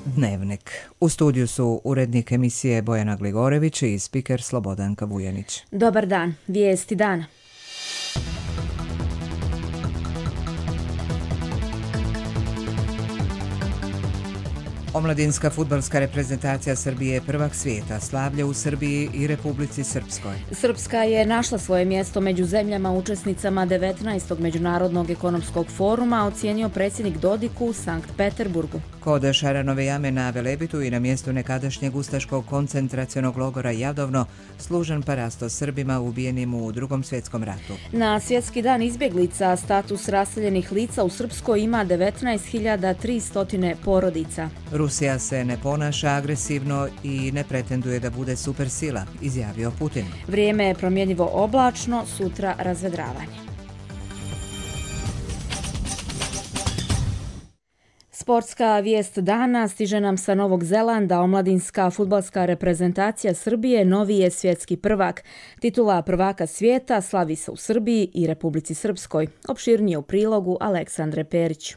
Dnevnik. U studiju su urednik emisije Bojana Gligorević i spiker Slobodanka Vujanić. Dobar dan, vijesti dana. Omladinska fudbalska reprezentacija Srbije je prvak svijeta, slavlja u Srbiji i Republici Srpskoj. Srpska je našla svoje mjesto među zemljama učesnicama 19. Međunarodnog ekonomskog foruma, ocijenio predsjednik Dodik u Sankt Peterburgu. Kod Šaranove jame na Velebitu i na mjestu nekadašnjeg ustaškog koncentracionog logora Jadovno služen parasto Srbima ubijenim u Drugom svjetskom ratu. Na svjetski dan izbjeglica status raseljenih lica u Srpskoj ima 19.300 porodica. Rusija se ne ponaša agresivno i ne pretenduje da bude supersila, izjavio Putin. Vrijeme je promjenjivo oblačno, sutra razvedravanje. Sportska vijest dana stiže nam sa Novog Zelanda. Omladinska fudbalska reprezentacija Srbije novi je svjetski prvak. Titula prvaka svijeta slavi se u Srbiji i Republici Srpskoj. Opširnije u prilogu Aleksandre Perić.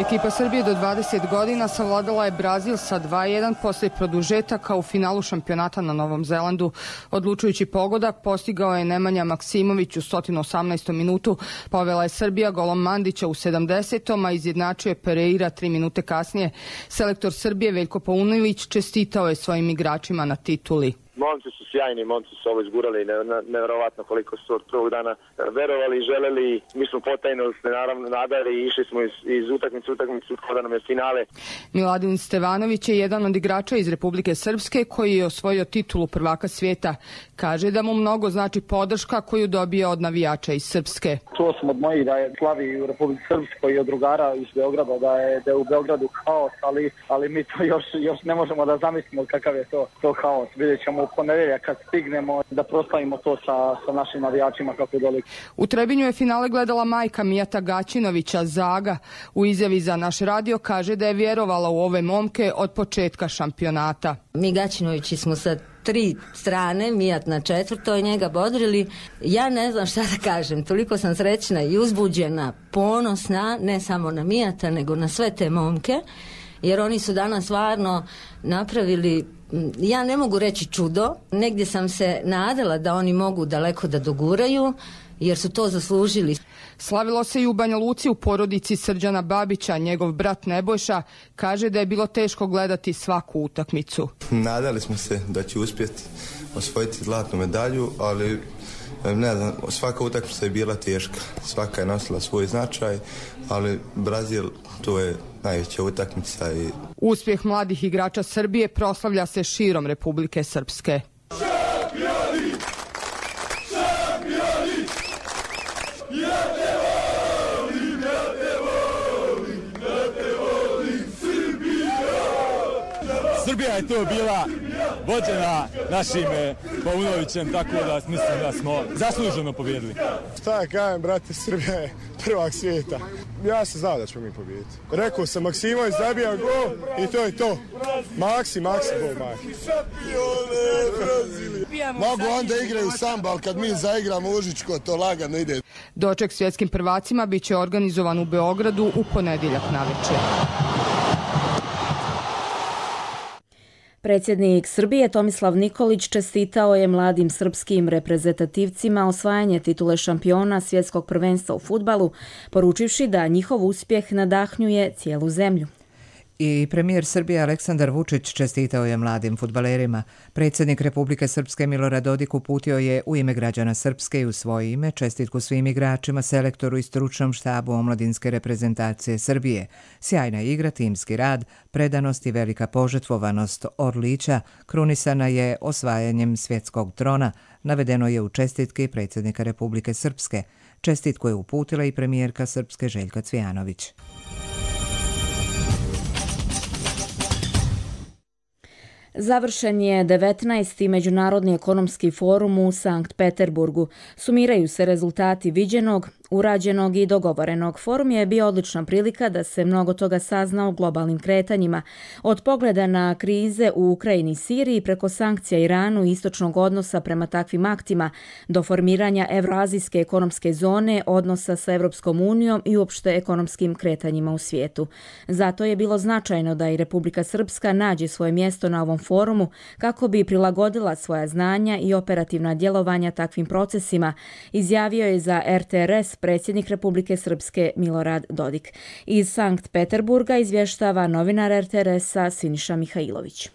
Ekipa Srbije do 20 godina savladala je Brazil sa 2:1 poslije produžetaka u finalu šampionata na Novom Zelandu. Odlučujući pogodak postigao je Nemanja Maksimović u 118. minutu. Povela je Srbija golom Mandića u 70. a izjednačio je Pereira 3 minute kasnije. Selektor Srbije Veljko Paunović čestitao je svojim igračima na tituli. Momci su sjajni, momci su ovo izgurali, nevjerovatno koliko su od prvog dana verovali i želeli. Mi smo potajno se naravno nadali i išli smo iz utakmicu kada nam je finale. Miladin Stevanović je jedan od igrača iz Republike Srpske koji je osvojio titulu prvaka svijeta. Kaže da mu mnogo znači podrška koju dobije od navijača iz Srpske. Čuo sam od mojih da je slavi u Republike Srpskoj i od drugara iz Beograda da je u Beogradu haos, ali mi to još ne možemo da zamislimo kakav je to haos. Vidjet ćemo u ponedjeljak kad stignemo da proslavimo to sa našim navijačima kako doli. U Trebinju je finale gledala majka Mijata Gaćinovića, Zaga. U izjavi za naš radio kaže da je vjerovala u ove momke od početka šampionata. Mi Gaćinovići smo sa 3 strane, Mijat na 4. njega bodrili. Ja ne znam šta da kažem, toliko sam srećna i uzbuđena, ponosna, ne samo na Mijata, nego na sve te momke, jer oni su danas stvarno napravili, ja ne mogu reći čudo, negdje sam se nadala da oni mogu daleko da doguraju, jer su to zaslužili. Slavilo se i u Banja Luci u porodici Srđana Babića. Njegov brat Nebojša kaže da je bilo teško gledati svaku utakmicu. Nadali smo se da će uspjeti osvojiti zlatnu medalju, ali ne znam, svaka utakmica je bila teška. Svaka je nosila svoj značaj, ali Brazil, to je najveća utakmica. Uspjeh mladih igrača Srbije proslavlja se širom Republike Srpske. Srbija je to bila vođena našim Paunovićem, tako da mislim da smo zasluženo pobjedili. Šta ja kažem, brate, Srbija je prvak svijeta. Ja sam znao da ćemo mi pobijediti. Rekao sam, Maksimović zabija gol i to je to. Maksi gol, Maki. Mogu onda igraju samba, ali kad mi zaigramo Užičko, to lagano ide. Doček svjetskim prvacima bit će organizovan u Beogradu u ponedjeljak navečer. Predsjednik Srbije Tomislav Nikolić čestitao je mladim srpskim reprezentativcima osvajanje titule šampiona svjetskog prvenstva u fudbalu, poručivši da njihov uspjeh nadahnjuje cijelu zemlju. I premijer Srbije Aleksandar Vučić čestitao je mladim fudbalerima. Predsjednik Republike Srpske Milorad Dodik uputio je u ime građana Srpske i u svoje ime čestitku svim igračima, selektoru i stručnom štabu omladinske reprezentacije Srbije. Sjajna igra, timski rad, predanost i velika požrtvovanost Orlića krunisana je osvajanjem svjetskog trona, navedeno je u čestitki predsjednika Republike Srpske. Čestitku je uputila i premijerka Srpske Željka Cvijanović. Završen je 19. Međunarodni ekonomski forum u Sankt Peterburgu. Sumiraju se rezultati viđenog, urađenog i dogovorenog. Forum je bio odlična prilika da se mnogo toga sazna o globalnim kretanjima. Od pogleda na krize u Ukrajini i Siriji preko sankcija Iranu i istočnog odnosa prema takvim aktima do formiranja Evroazijske ekonomske zone, odnosa sa Evropskom unijom i uopšte ekonomskim kretanjima u svijetu. Zato je bilo značajno da i Republika Srpska nađe svoje mjesto na ovom forumu kako bi prilagodila svoja znanja i operativna djelovanja takvim procesima, izjavio je za RTRS predsjednik Republike Srpske Milorad Dodik. Iz Sankt Peterburga izvještava novinar RTRS-a Siniša Mihajlović.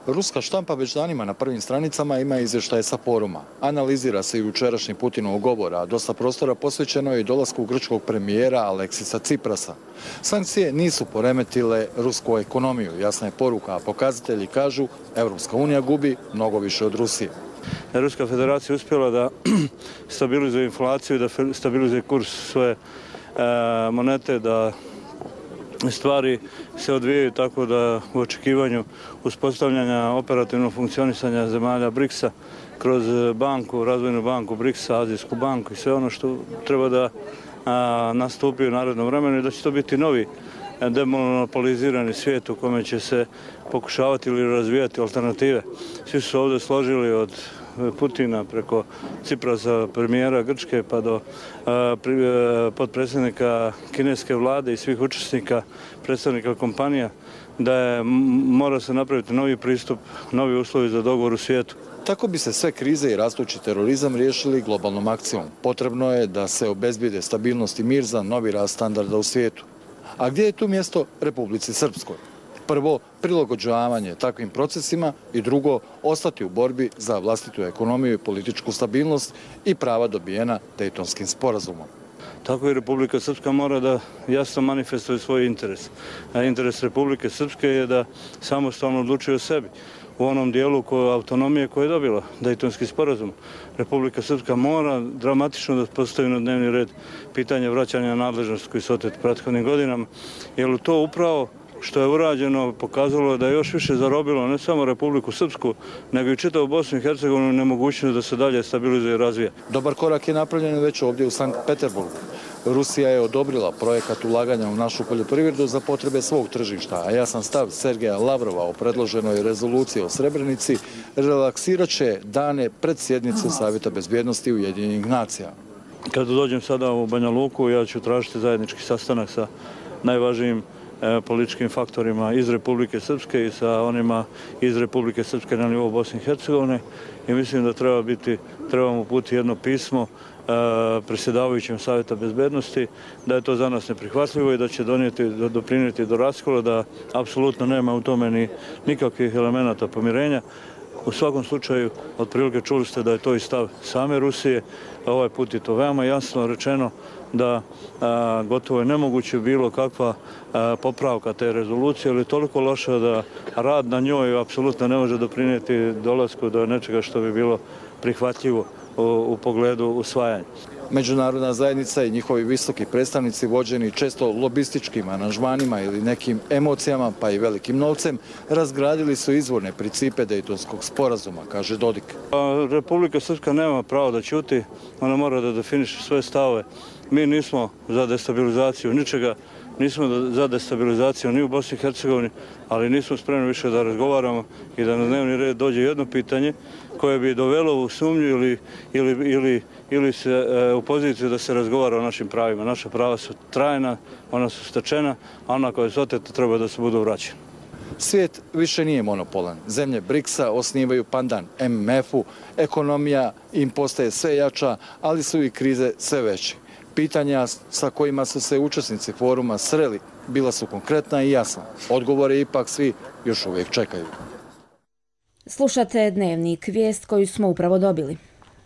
Ruska štampa već danima na prvim stranicama ima izvještaje sa foruma. Analizira se i jučerašnji Putinov govor, a dosta prostora posvećeno je i dolasku grčkog premijera Aleksisa Ciprasa. Sankcije nisu poremetile rusku ekonomiju, jasna je poruka, a pokazatelji kažu Evropska unija gubi mnogo više od Rusije. Ruska federacija uspjela da stabilizuje inflaciju i da stabilizuje kurs svoje monete, da stvari se odvijaju tako da u očekivanju uspostavljanja operativnog funkcionisanja zemalja BRICS-a kroz banku, razvojnu banku BRICS-a, Azijsku banku i sve ono što treba da nastupi u narednom vremenu i da će to biti novi demonopolizirani svijet u kome će se pokušavati ili razvijati alternative. Svi su se ovdje složili od Putina preko Ciprasa, premijera Grčke, pa do potpredsjednika kineske vlade i svih učesnika, predstavnika kompanija, da mora se napraviti novi pristup, novi uslovi za dogovor u svijetu. Tako bi se sve krize i rastući terorizam riješili globalnom akcijom. Potrebno je da se obezbijede stabilnost i mir za novi rast standarda u svijetu. A gdje je tu mjesto Republici Srpskoj? Prvo, prilagođavanje takvim procesima i drugo, ostati u borbi za vlastitu ekonomiju i političku stabilnost i prava dobijena Dejtonskim sporazumom. Tako i Republika Srpska mora da jasno manifestuje svoj interes. A interes Republike Srpske je da samostalno odlučuje o sebi. U onom dijelu autonomije koje je dobila Dejtonski sporazum. Republika Srpska mora dramatično da postavi na dnevni red pitanje vraćanja nadležnosti koji su oteti prethodnim godinama, jer to upravo što je urađeno pokazalo da je još više zarobilo ne samo Republiku Srpsku, nego i čitavu Bosnu i Hercegovinu nemogućnost da se dalje stabilizuje i razvija. Dobar korak je napravljen već ovdje u Sankt Peterburgu. Rusija je odobrila projekat ulaganja u našu poljoprivredu za potrebe svog tržišta, a jasan stav Sergeja Lavrova o predloženoj rezoluciji o Srebrenici relaksirat će dane pred sjednicu Savjeta bezbjednosti Ujedinjenih nacija. Kada dođem sada u Banja Luku, ja ću tražiti zajednički sastanak sa najvažnijim političkim faktorima iz Republike Srpske i sa onima iz Republike Srpske na nivou Bosne i Hercegovine i mislim da trebamo uputiti jedno pismo predsjedavajućem Savjeta bezbednosti, da je to za nas neprihvatljivo i da će doprinijeti do raskola, da apsolutno nema u tome ni nikakvih elemenata pomirenja. U svakom slučaju, otprilike čuli ste da je to i stav same Rusije, ovaj put je to veoma jasno rečeno da gotovo je nemoguće bilo kakva popravka te rezolucije, ali je toliko loša da rad na njoj apsolutno ne može doprinijeti dolasku do nečega što bi bilo prihvatljivo u pogledu usvajanja. Međunarodna zajednica i njihovi visoki predstavnici vođeni često lobističkim aranžmanima ili nekim emocijama, pa i velikim novcem, razgradili su izvorne principe Dejtonskog sporazuma, kaže Dodik. Republika Srpska nema pravo da ćuti, ona mora da definiše svoje stavove. Mi nismo za destabilizaciju ničega, nismo za destabilizaciju ni u Bosni i Hercegovini, ali nismo spremni više da razgovaramo i da na dnevni red dođe jedno pitanje koje bi dovelo u sumnju ili se u poziciju da se razgovara o našim pravima. Naša prava su trajna, ona su stečena, a ona koja su oteta treba da se budu vraćena. Svijet više nije monopolan. Zemlje BRICS-a osnivaju pandan MMF-u, ekonomija im postaje sve jača, ali su i krize sve veće. Pitanja sa kojima su se učesnici foruma sreli bila su konkretna i jasna. Odgovore ipak svi još uvijek čekaju. Slušate Dnevnik, vijest koju smo upravo dobili.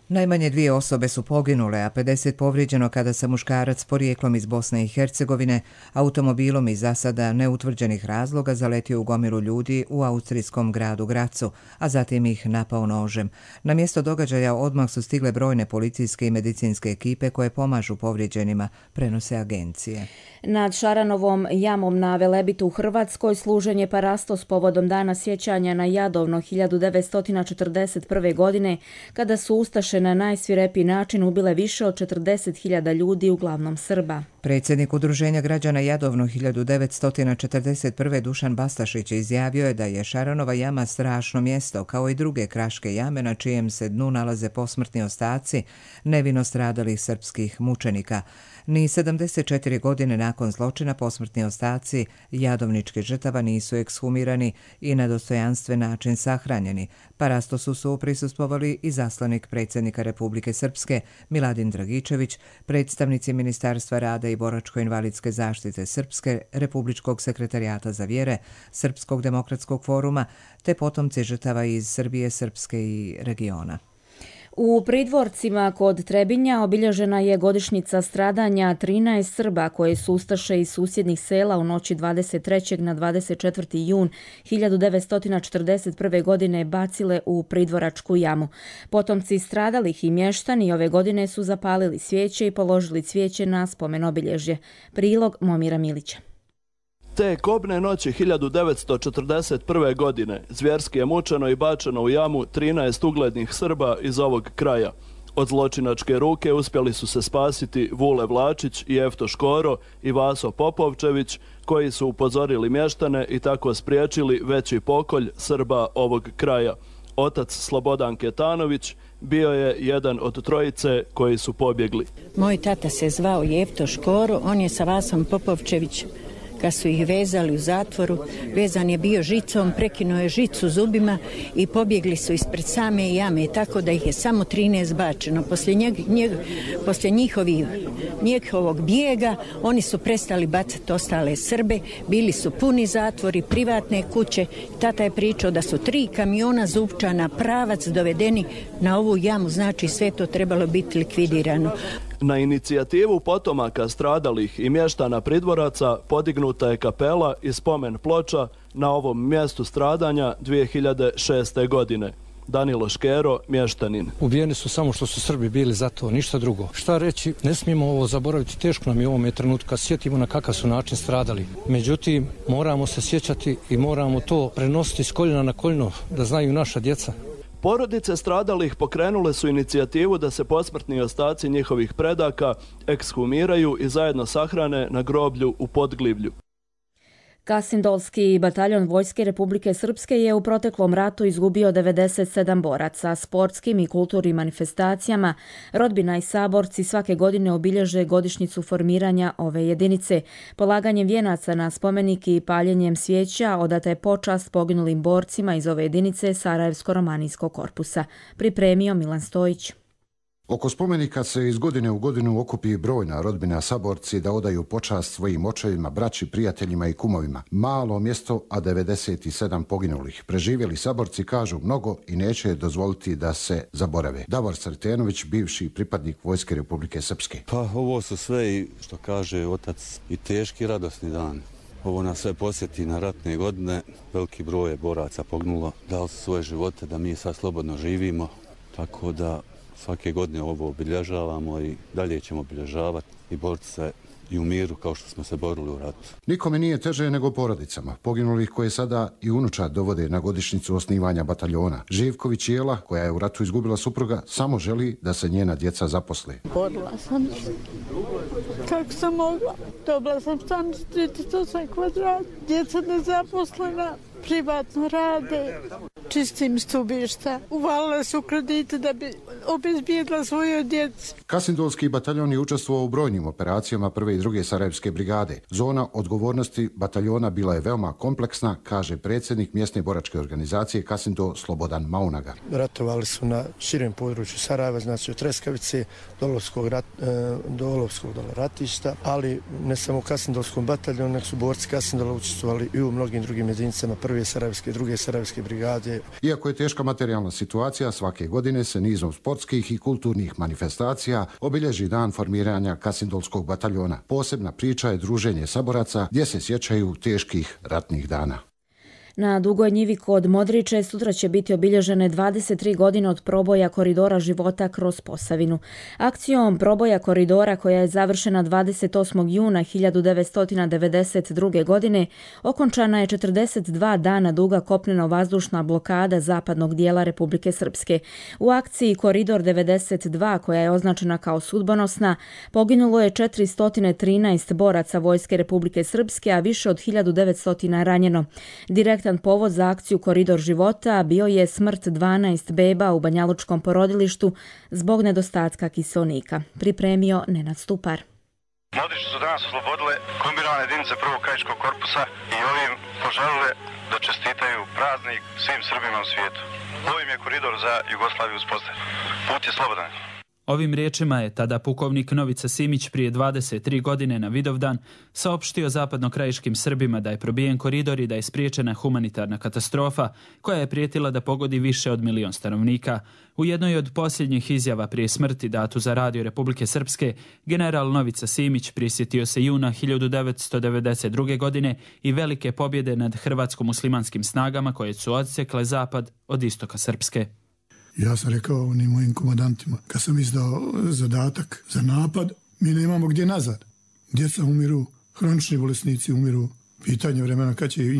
Najmanje 2 osobe su poginule, a 50 povrijeđeno kada se muškarac porijeklom iz Bosne i Hercegovine automobilom iz za sada neutvrđenih razloga zaletio u gomilu ljudi u austrijskom gradu Gracu, a zatim ih napao nožem. Na mjesto događaja odmah su stigle brojne policijske i medicinske ekipe koje pomažu povrijeđenima, prenose agencije. Nad Šaranovom jamom na Velebitu u Hrvatskoj služen je parastos povodom dana sjećanja na Jadovno 1941. godine, kada su ustaše Ustaše na najsvirepiji način ubile više od 40.000 ljudi, uglavnom Srba. Predsjednik Udruženja građana Jadovno 1941. Dušan Bastašić izjavio je da je Šaranova jama strašno mjesto, kao i druge kraške jame na čijem se dnu nalaze posmrtni ostaci nevino stradalih srpskih mučenika. Ni 74 godine nakon zločina posmrtni ostaci jadovničkih žrtava nisu ekshumirani i na dostojanstven način sahranjeni. Parastosu su prisustvovali i zaslanik predsjednika Republike Srpske Miladin Dragičević, predstavnici Ministarstva rada i boračko-invalidske zaštite Srpske, Republičkog sekretarijata za vjere, Srpskog demokratskog foruma, te potomci žrtava iz Srbije, Srpske i regiona. U Pridvorcima kod Trebinja obilježena je godišnjica stradanja 13 Srba koje su ustaše iz susjednih sela u noći 23. na 24. jun 1941. godine bacile u Pridvoračku jamu. Potomci stradalih i mještani ove godine su zapalili svijeće i položili cvijeće na spomen obilježje. Prilog Momira Milića. Te kobne noći 1941. godine zvjerski je mučeno i bačeno u jamu 13 uglednih Srba iz ovog kraja. Od zločinačke ruke uspjeli su se spasiti Vule Vlačić i Efto Škoro i Vaso Popovčević, koji su upozorili mještane i tako spriječili veći pokolj Srba ovog kraja. Otac Slobodan Ketanović bio je jedan od trojice koji su pobjegli. Moj tata se zvao Efto Škoro, on je sa Vasom Popovčevićem. Kad su ih vezali u zatvoru, vezan je bio žicom, prekinuo je žicu zubima i pobjegli su ispred same jame, tako da ih je samo 13 bačeno. Poslije njihovog bijega oni su prestali bacati ostale Srbe, bili su puni zatvori, privatne kuće. Tata je pričao da su 3 kamiona zupčana pravac dovedeni na ovu jamu, znači sve to trebalo biti likvidirano. Na inicijativu potomaka stradalih i mještana Pridvoraca podignuta je kapela i spomen ploča na ovom mjestu stradanja 2006. godine. Danilo Škero, mještanin. Ubijeni su samo što su Srbi bili za to, ništa drugo. Šta reći, ne smijemo ovo zaboraviti, teško nam je u ovome trenutku kad sjetimo na kakav su način stradali. Međutim, moramo se sjećati i moramo to prenositi s koljena na koljeno, da znaju naša djeca. Porodice stradalih pokrenule su inicijativu da se posmrtni ostaci njihovih predaka ekshumiraju i zajedno sahrane na groblju u Podglivlju. Kasindolski bataljon Vojske Republike Srpske je u proteklom ratu izgubio 97 boraca. Sportskim i kulturnim manifestacijama rodbina i saborci svake godine obilježe godišnjicu formiranja ove jedinice. Polaganjem vijenaca na spomenik i paljenjem svijeća odata je počast poginulim borcima iz ove jedinice Sarajevsko-romanijskog korpusa. Pripremio Milan Stojić. Oko spomenika se iz godine u godinu okupi brojna rodbina saborci da odaju počast svojim očevima, braći, prijateljima i kumovima. Malo mjesto, a 97 poginulih. Preživjeli saborci kažu mnogo i neće dozvoliti da se zaborave. Davor Sretenović, bivši pripadnik Vojske Republike Srpske. Pa ovo su sve, što kaže otac, i teški radosni dan. Ovo nas sve posjeti na ratne godine. Veliki broj je boraca poginulo, dali su svoje živote da mi sad slobodno živimo, tako da svake godine ovo obilježavamo i dalje ćemo obilježavati i boriti se i u miru kao što smo se borili u ratu. Nikome nije teže nego porodicama poginulih koje sada i unučad dovode na godišnjicu osnivanja bataljona. Živković Jela, koja je u ratu izgubila supruga, samo želi da se njena djeca zaposle. Borila sam se. Kako sam mogla? Dobila sam stan 38 kvadrata, djeca nezaposlena, privatno rade, čistim stubišta. Uvalila su kredite da bi obezbijedila svoju djecu. Kasindolski bataljon je učestvovao u brojnim operacijama 1. i 2. Sarajevske brigade. Zona odgovornosti bataljona bila je veoma kompleksna, kaže predsjednik mjesne boračke organizacije Kasindol Slobodan Maunaga. Ratovali su na širem području Sarajeva, znači od Treskavice do Olovskog ratišta, ali ne samo u Kasindolskom bataljonu, nego su borci Kasindola učestvovali i u mnogim drugim jedinicama 1. Sarajevske i 2. Sarajevske brigade. Iako je teška materijalna situacija, svake godine se nizom sportskih i kulturnih manifestacija obilježi dan formiranja Kasindolskog bataljona. Posebna priča je druženje saboraca gdje se sjećaju teških ratnih dana. Na Dugoj njivi kod Modriče sutra će biti obilježene 23 godine od proboja koridora života kroz Posavinu. Akcijom proboja koridora koja je završena 28. juna 1992. godine okončana je 42 dana duga kopneno-vazdušna blokada zapadnog dijela Republike Srpske. U akciji Koridor 92 koja je označena kao sudbonosna poginulo je 413 boraca Vojske Republike Srpske, a više od 1900 ranjeno. Direktan povod za akciju Koridor života bio je smrt 12 beba u banjalučkom porodilištu zbog nedostatka kiseonika. Pripremio Nenad Stupar. Modriče su danas oslobodile kombinovane jedinice prvog krajiškog korpusa i ovim poželile da čestitaju praznik svim Srbima u svijetu. Ovim je koridor za Jugoslaviju uspostavljen. Put je slobodan. Ovim riječima je tada pukovnik Novica Simić prije 23 godine na Vidovdan saopštio zapadnokrajiškim Srbima da je probijen koridor i da je spriječena humanitarna katastrofa koja je prijetila da pogodi više od 1 milion stanovnika. U jednoj od posljednjih izjava prije smrti datu za Radio Republike Srpske, general Novica Simić prisjetio se juna 1992. godine i velike pobjede nad hrvatsko-muslimanskim snagama koje su odsjekle zapad od istoka Srpske. Ja sam rekao onim mojim komandantima, kad sam izdao zadatak za napad, mi nemamo gdje nazad. Djeca umiru, hronični bolesnici umiru, pitanje vremena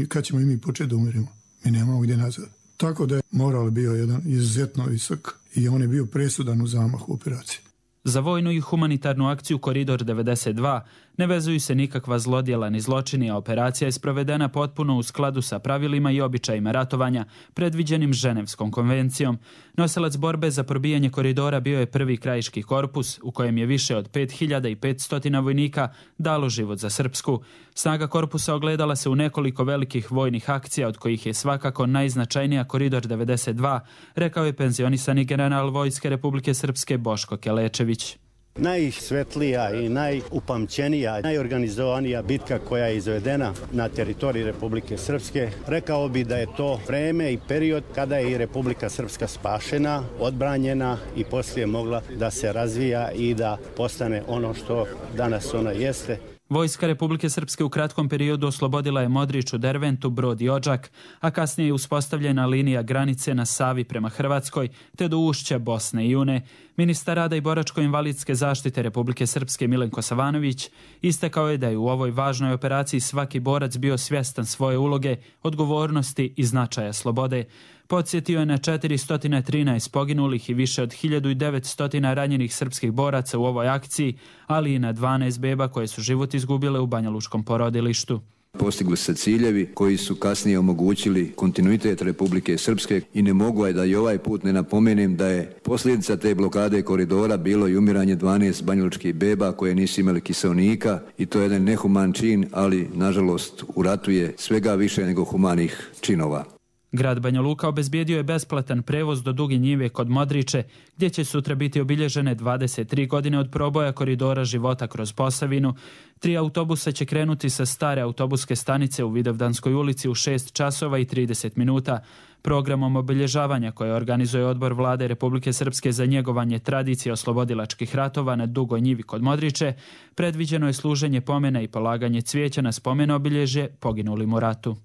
kad ćemo i mi početi da umirimo. Mi nemamo gdje nazad. Tako da je moral bio jedan izuzetno visok i on je bio presudan u zamahu operacije. Za vojnu i humanitarnu akciju Koridor 92 ne vezuju se nikakva zlodjela ni zločini, a operacija je sprovedena potpuno u skladu sa pravilima i običajima ratovanja predviđenim Ženevskom konvencijom. Nosilac borbe za probijanje koridora bio je prvi krajiški korpus u kojem je više od 5500 vojnika dalo život za Srpsku. Snaga korpusa ogledala se u nekoliko velikih vojnih akcija, od kojih je svakako najznačajnija Koridor 92, rekao je penzionisani general Vojske Republike Srpske Boško Kelečević. Najsvetlija i najupamćenija, najorganizovanija bitka koja je izvedena na teritoriji Republike Srpske. Rekao bi da je to vreme i period kada je i Republika Srpska spašena, odbranjena i poslije mogla da se razvija i da postane ono što danas ona jeste. Vojska Republike Srpske u kratkom periodu oslobodila je Modriču, Derventu, Brod i Odžak, a kasnije je uspostavljena linija granice na Savi prema Hrvatskoj te do ušća Bosne i Une. Ministar rada i boračko-invalidske zaštite Republike Srpske Milenko Savanović istakao je da je u ovoj važnoj operaciji svaki borac bio svjestan svoje uloge, odgovornosti i značaja slobode. Podsjetio je na 413 poginulih i više od 1900 ranjenih srpskih boraca u ovoj akciji, ali i na 12 beba koje su život izgubile u banjalučkom porodilištu. Postigli se ciljevi koji su kasnije omogućili kontinuitet Republike Srpske i ne mogu da i ovaj put ne napomenem da je posljedica te blokade koridora bilo i umiranje 12 banjalučkih beba koje nisu imali kiseonika i to je jedan nehuman čin, ali nažalost u ratu je svega više nego humanih činova. Grad Banja Luka obezbijedio je besplatan prevoz do Duge njive kod Modriče, gdje će sutra biti obilježene 23 godine od proboja koridora života kroz Posavinu. 3 autobusa će krenuti sa stare autobuske stanice u Vidovdanskoj ulici u 6 časova i 30 minuta. Programom obilježavanja koje organizuje Odbor Vlade Republike Srpske za njegovanje tradicije oslobodilačkih ratova na Dugoj njivi kod Modriče predviđeno je služenje pomena i polaganje cvijeća na spomen obilježje poginulim u ratu.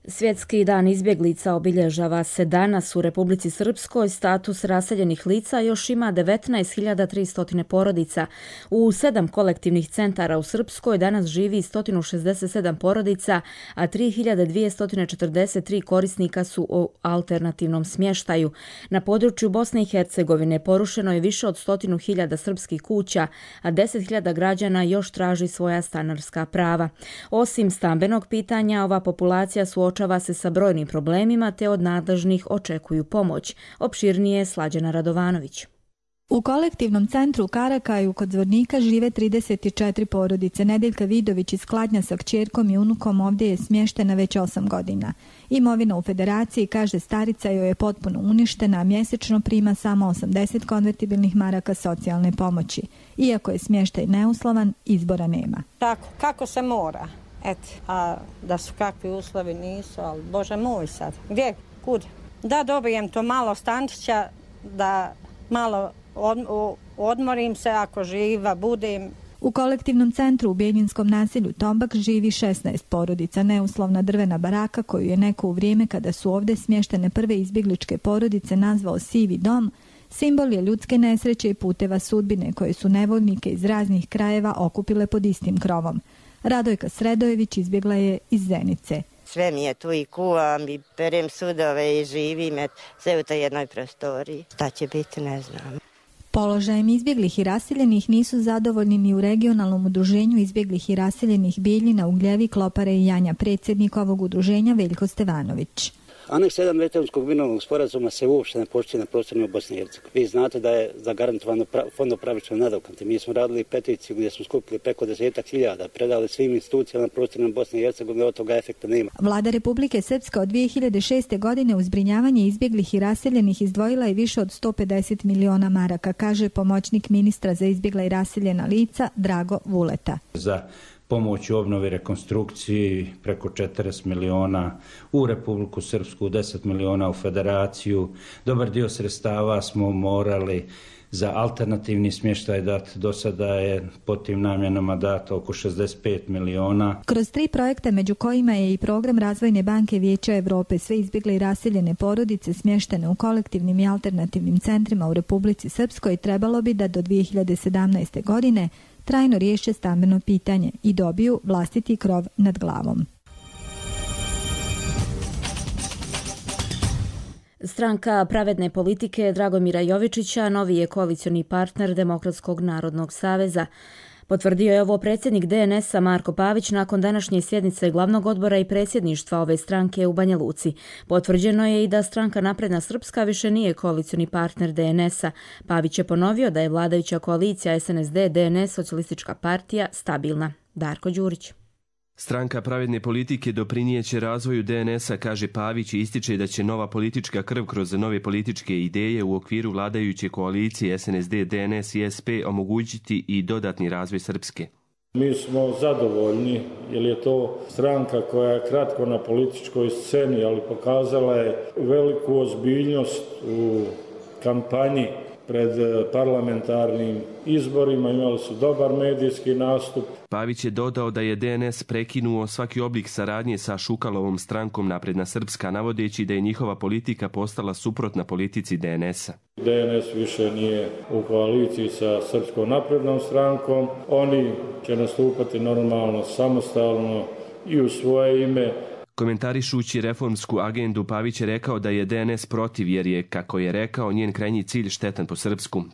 Svjetski dan izbjeglica obilježava se danas u Republici Srpskoj. Status raseljenih lica još ima 19.300 porodica. U 7 kolektivnih centara u Srpskoj danas živi 167 porodica, a 3.243 korisnika su u alternativnom smještaju. Na području Bosne i Hercegovine porušeno je više od 100.000 srpskih kuća, a 10.000 građana još traži svoja stanarska prava. Osim stambenog pitanja, ova populacija suočava se sa brojnim problemima te od nadležnih očekuju pomoć. Opširnije Slađana Radovanović. U kolektivnom centru u Karakaju kod Zvornika žive 34 porodice. Nedeljka Vidović iz Kladnja sa kćerkom i unukom ovdje je smještena već 8 godina. Imovina u federaciji, kaže starica, joj je potpuno uništena, a mjesečno prima samo 80 konvertibilnih maraka socijalne pomoći. Iako je smještaj neuslovan, izbora nema. Tako, kako se mora. A da su kakvi uslovi nisu, ali Bože moj sad, gdje, kud? Da dobijem to malo stančića, da malo odmorim se ako živa budem, U kolektivnom centru u Bijeljinskom naselju Tombak živi 16 porodica. Neuslovna drvena baraka koju je neko u vrijeme kada su ovdje smještene prve izbjegličke porodice nazvao Sivi dom, simbol je ljudske nesreće i puteva sudbine koje su nevoljnike iz raznih krajeva okupile pod istim krovom. Radojka Sredojević izbjegla je iz Zenice. Sve mi je tu i kuvam i perem sudove i živim sve u toj jednoj prostoriji. Šta će biti, ne znam. Položajem izbjeglih i raseljenih nisu zadovoljni ni u regionalnom udruženju izbjeglih i raseljenih Bijeljina, Ugljevi, Klopare i Janja. Predsjednik ovog udruženja Veljko Stevanović. Aneks 1 Daytonskog mirovnog sporazuma se uopšte ne poštuje na prostorima Bosne i Hercegovine. Vi znate da je zagarantovano fondom pravične nadoknade. Mi smo radili peticiju gdje smo skupili preko 10.000, predali svim institucijama na prostorima Bosne i Hercegovine, od toga efekta nema. Vlada Republike Srpske od 2006. godine u zbrinjavanje izbjeglih i raseljenih izdvojila je više od 150 miliona maraka, kaže pomoćnik ministra za izbjegla i raseljena lica Drago Vuleta. Za pomoć u obnovi rekonstrukciji preko 40 miliona u Republiku Srpsku, 10 miliona u Federaciju. Dobar dio sredstava smo morali za alternativni smještaj dati. Do sada je po tim namjenama dato oko 65 miliona. Kroz 3 projekta, među kojima je i program Razvojne banke Vijeća Evrope, sve izbjegle i raseljene porodice smještene u kolektivnim i alternativnim centrima u Republici Srpskoj trebalo bi da do 2017. godine trajno riješe stambeno pitanje i dobiju vlastiti krov nad glavom. Stranka pravedne politike Dragomira Jovičića novi je koalicioni partner Demokratskog narodnog saveza. Potvrdio je ovo predsjednik DNS-a Marko Pavić nakon današnje sjednice glavnog odbora i predsjedništva ove stranke u Banja Luci. Potvrđeno je i da stranka Napredna Srpska više nije koalicioni partner DNS-a. Pavić je ponovio da je vladajuća koalicija SNSD, DNS, Socijalistička partija stabilna. Darko Đurić. Stranka pravedne politike doprinijeće razvoju DNS-a, kaže Pavić, i ističe da će nova politička krv kroz nove političke ideje u okviru vladajuće koalicije SNSD, DNS i SP omogućiti i dodatni razvoj Srpske. Mi smo zadovoljni jer je to stranka koja je kratko na političkoj sceni, ali pokazala je veliku ozbiljnost u kampanji pred parlamentarnim izborima, imali su dobar medijski nastup. Pavić je dodao da je DNS prekinuo svaki oblik saradnje sa Šukalovom strankom Napredna Srpska, navodeći da je njihova politika postala suprotna politici DNS-a. DNS više nije u koaliciji sa Srpskom naprednom strankom. Oni će nastupati normalno, samostalno i u svoje ime. Komentarišući reformsku agendu, Pavić je rekao da je DNS protiv jer je, kako je rekao, njen krajnji cilj štetan po Srpsku.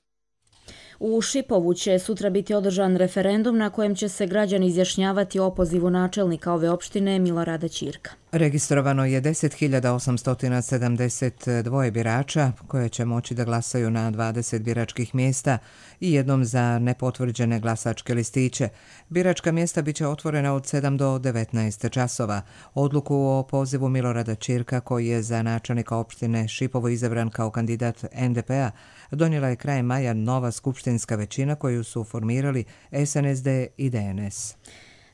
U Šipovu će sutra biti održan referendum na kojem će se građani izjašnjavati o opozivu načelnika ove opštine Milorada Ćirka. Registrovano je 10.872 birača koje će moći da glasaju na 20 biračkih mjesta i jednom za nepotvrđene glasačke listiće. Biračka mjesta biće otvorena od 7 do 19 časova. Odluku o pozivu Milorada Ćirka, koji je za načelnika opštine Šipovo izabran kao kandidat NDP-a, donijela je krajem maja nova skupštinska većina koju su formirali SNSD i DNS.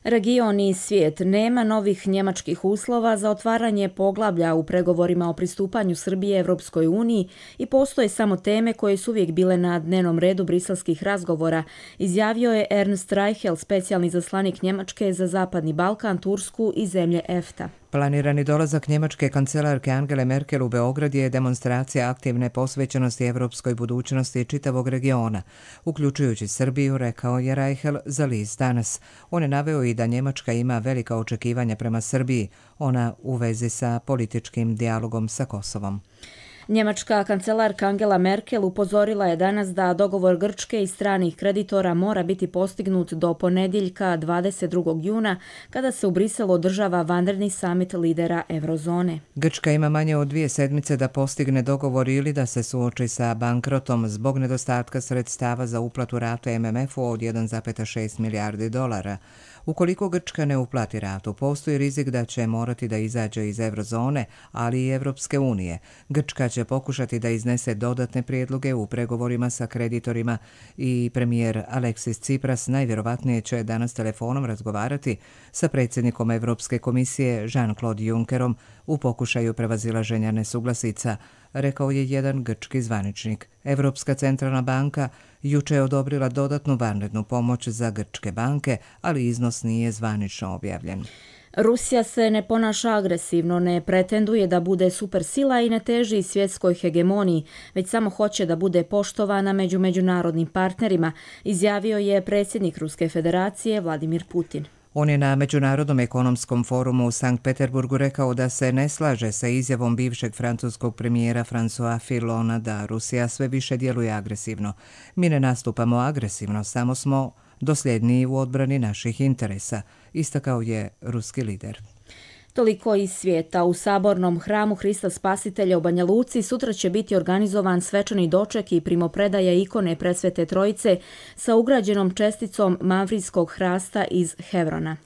Region i svijet. Nema novih njemačkih uslova za otvaranje poglavlja u pregovorima o pristupanju Srbije Evropskoj uniji i postoje samo teme koje su uvijek bile na dnevnom redu briselskih razgovora, izjavio je Ernst Reichel, specijalni izaslanik Njemačke za Zapadni Balkan, Tursku i zemlje EFTA. Planirani dolazak njemačke kancelarke Angele Merkel u Beograd je demonstracija aktivne posvećenosti evropskoj budućnosti čitavog regiona, uključujući Srbiju, rekao je Reichel za list Danas. On je naveo i da Njemačka ima velika očekivanja prema Srbiji, ona u vezi sa političkim dijalogom sa Kosovom. Njemačka kancelarka Angela Merkel upozorila je danas da dogovor Grčke i stranih kreditora mora biti postignut do ponedjeljka 22. juna, kada se u Briselu održava vanredni samit lidera Eurozone. Grčka ima manje od 2 sedmice da postigne dogovor ili da se suoči sa bankrotom zbog nedostatka sredstava za uplatu rate MMF-u od 1,6 milijardi dolara. Ukoliko Grčka ne uplati ratu, postoji rizik da će morati da izađe iz Eurozone, ali i Evropske unije. Grčka će pokušati da iznese dodatne prijedloge u pregovorima sa kreditorima i premijer Aleksis Tsipras najvjerovatnije će danas telefonom razgovarati sa predsjednikom Evropske komisije Jean-Claude Junckerom u pokušaju prevazilaženja nesuglasica. rekao je jedan grčki zvaničnik. Evropska centralna banka juče je odobrila dodatnu vanrednu pomoć za grčke banke, ali iznos nije zvanično objavljen. Rusija se ne ponaša agresivno, ne pretenduje da bude supersila i ne teži svjetskoj hegemoniji, već samo hoće da bude poštovana među međunarodnim partnerima, izjavio je predsjednik Ruske federacije Vladimir Putin. On je na Međunarodnom ekonomskom forumu u Sankt Peterburgu rekao da se ne slaže sa izjavom bivšeg francuskog premijera François Fillona da Rusija sve više djeluje agresivno. Mi ne nastupamo agresivno, samo smo dosljedniji u odbrani naših interesa, istakao je ruski lider. Toliko iz svijeta. U Sabornom hramu Hrista Spasitelja u Banja Luci sutra će biti organizovan svečani doček i primopredaja ikone Presvete Trojice sa ugrađenom česticom mavrijskog hrasta iz Hevrona.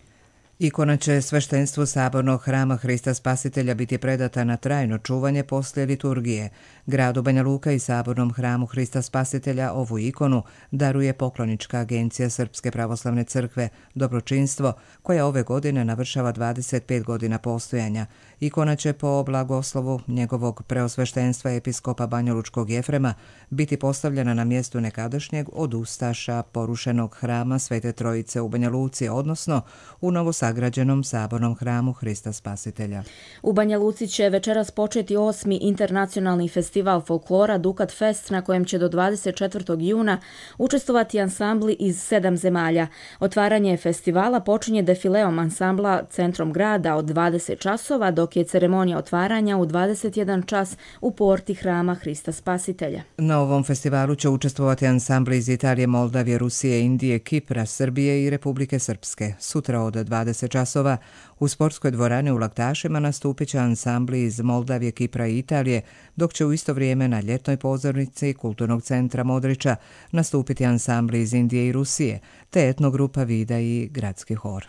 Ikona će sveštenstvu Sabornog hrama Hrista Spasitelja biti predata na trajno čuvanje poslije liturgije. Gradu Banja Luka i Sabornom hramu Hrista Spasitelja ovu ikonu daruje poklonička agencija Srpske pravoslavne crkve Dobročinstvo, koja ove godine navršava 25 godina postojanja. Ikona će po blagoslovu njegovog preosveštenstva episkopa banjalučkog Jefrema biti postavljena na mjestu nekadašnjeg od ustaša porušenog hrama Svete Trojice u Banja Luci, odnosno u novosagrađenom Sabornom hramu Hrista Spasitelja. U Banja Luci će večeras početi 8. internacionalni festival folklora Dukat Fest, na kojem će do 24. juna učestvovati ansambli iz 7 zemalja. Otvaranje festivala počinje defileom ansambla centrom grada od 20 časova, dok je ceremonija otvaranja u 21 čas u porti hrama Hrista Spasitelja. Na ovom festivalu će učestvovati ansambli iz Italije, Moldavije, Rusije, Indije, Kipra, Srbije i Republike Srpske. Sutra od 20 časova u sportskoj dvorani u Laktašima nastupit će ansambli iz Moldavije, Kipra i Italije, dok će u isto vrijeme na ljetnoj pozornici Kulturnog centra Modrića nastupiti ansambli iz Indije i Rusije, te etnogrupa Vida i gradski hor.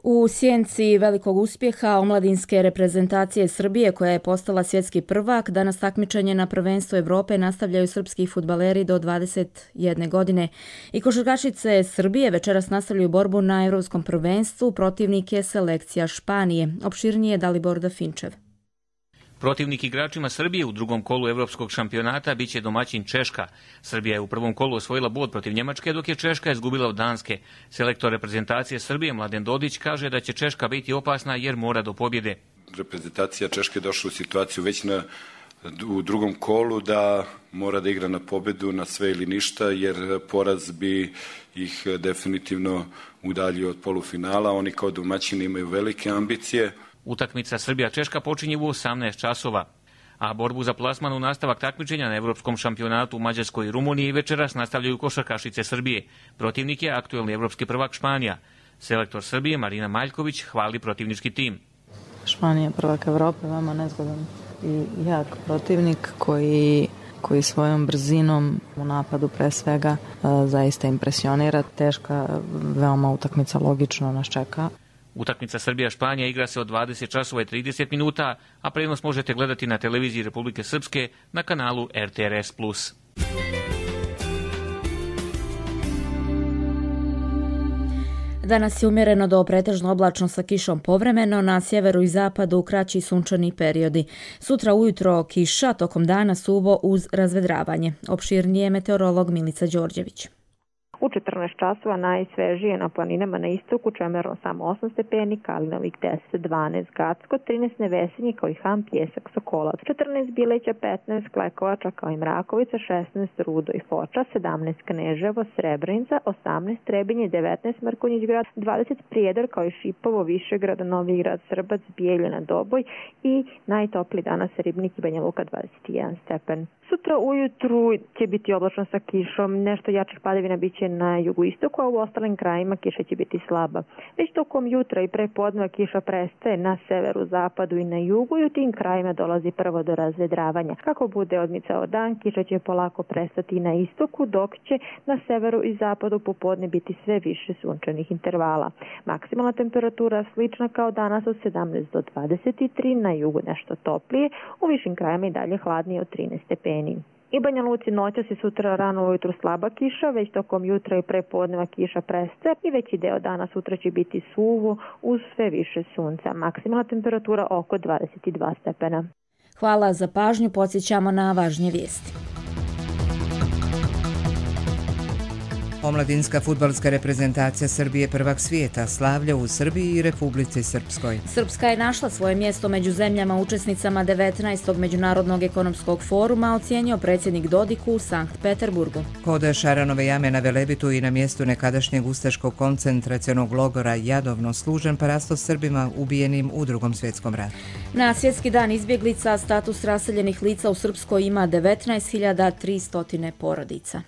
U sjenci velikog uspjeha omladinske reprezentacije Srbije, koja je postala svjetski prvak, danas takmičenje na prvenstvu Evrope nastavljaju srpski fudbaleri do 21 godine. I košarkašice Srbije večeras nastavljaju borbu na Evropskom prvenstvu, protivnik je selekcija Španije. Opširnije Dalibor Dafinčev. Protivnik igračima Srbije u drugom kolu evropskog šampionata biće domaćin Češka. Srbija je u prvom kolu osvojila bod protiv Njemačke, dok je Češka izgubila od Danske. Selektor reprezentacije Srbije Mladen Dodić kaže da će Češka biti opasna jer mora do pobjede. Reprezentacija Češke je došla u situaciju već u drugom kolu da mora da igra na pobjedu, na sve ili ništa, jer poraz bi ih definitivno udaljio od polufinala. Oni kao domaćini imaju velike ambicije. Utakmica Srbija-Češka počinje u 18 časova, a borbu za plasman u nastavak takmičenja na evropskom šampionatu u Mađarskoj i Rumuniji večeras nastavljaju košarkašice Srbije. Protivnik je aktuelni evropski prvak Španija. Selektor Srbije Marina Maljković hvali protivnički tim. Španija prvak Evrope, veoma nezgodan i jak protivnik koji svojom brzinom u napadu pre svega zaista impresionira. Teška veoma utakmica, logično nas čeka. Utakmica Srbija-Španija igra se od 20 časova i 30 minuta, a prenos možete gledati na televiziji Republike Srpske na kanalu RTRS+. Danas je umjereno do pretežno oblačno sa kišom povremeno, na sjeveru i zapadu kraći sunčani periodi. Sutra ujutro kiša, tokom dana suvo uz razvedravanje. Opširnije meteorolog Milica Đorđević. U 14 časova najsvežije na planinama na istoku, Čemerno samo 8 stepeni, Kalinovik 10, 12, Gacko, 13 Nevesinje kao i Ham, Pjesak, Sokolac, 14 Bileća, 15 Klekovača kao i Mrakovica, 16 Rudo i Foča, 17 Kneževo, Srebrenica, 18 Trebinje, 19 Mrkonjić grad, 20 Prijedor kao i Šipovo, Višegrad, Novi grad, Srbac, Bijeljina, Doboj i najtopliji danas Ribnik i Banja Luka 21 stepen. Sutra ujutru će biti oblačno sa kišom, nešto jačih padavina biće na jugoistoku, a u ostalim krajima kiša će biti slaba. Već tokom jutra i prepodneva kiša prestaje na severu, zapadu i na jugu i u tim krajima dolazi prvo do razvedravanja. Kako bude odmicao dan, kiša će polako prestati na istoku, dok će na severu i zapadu popodne biti sve više sunčanih intervala. Maksimalna temperatura slična kao danas od 17 do 23, na jugu nešto toplije, u višim krajima i dalje hladnije od 13 stepeni. I Banja Luci noćas i sutra rano ujutru slaba kiša, već tokom jutra i prepodneva kiša prestaje i veći deo dana sutra će biti suvo uz sve više sunca. Maksimalna temperatura oko 22 stepena. Hvala za pažnju, podsjećamo na važnije vijesti. Omladinska fudbalska reprezentacija Srbije prvak svijeta slavlja u Srbiji i Republici Srpskoj. Srpska je našla svoje mjesto među zemljama učesnicama 19. Međunarodnog ekonomskog foruma, ocijenio predsjednik Dodik u Sankt Peterburgu. Kod Šaranove jame na Velebitu i na mjestu nekadašnjeg ustaškog koncentracionog logora Jadovno služen parastos Srbima ubijenim u Drugom svjetskom ratu. Na svjetski dan izbjeglica status raseljenih lica u Srpskoj ima 19.300 porodica.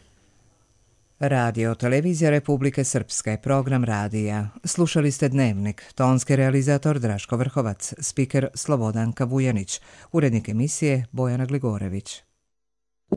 Radio Televizija Republike Srpske, program radija. Slušali ste Dnevnik, tonski realizator Draško Vrhovac, spiker Slobodanka Vujanić, urednik emisije Bojana Gligorević.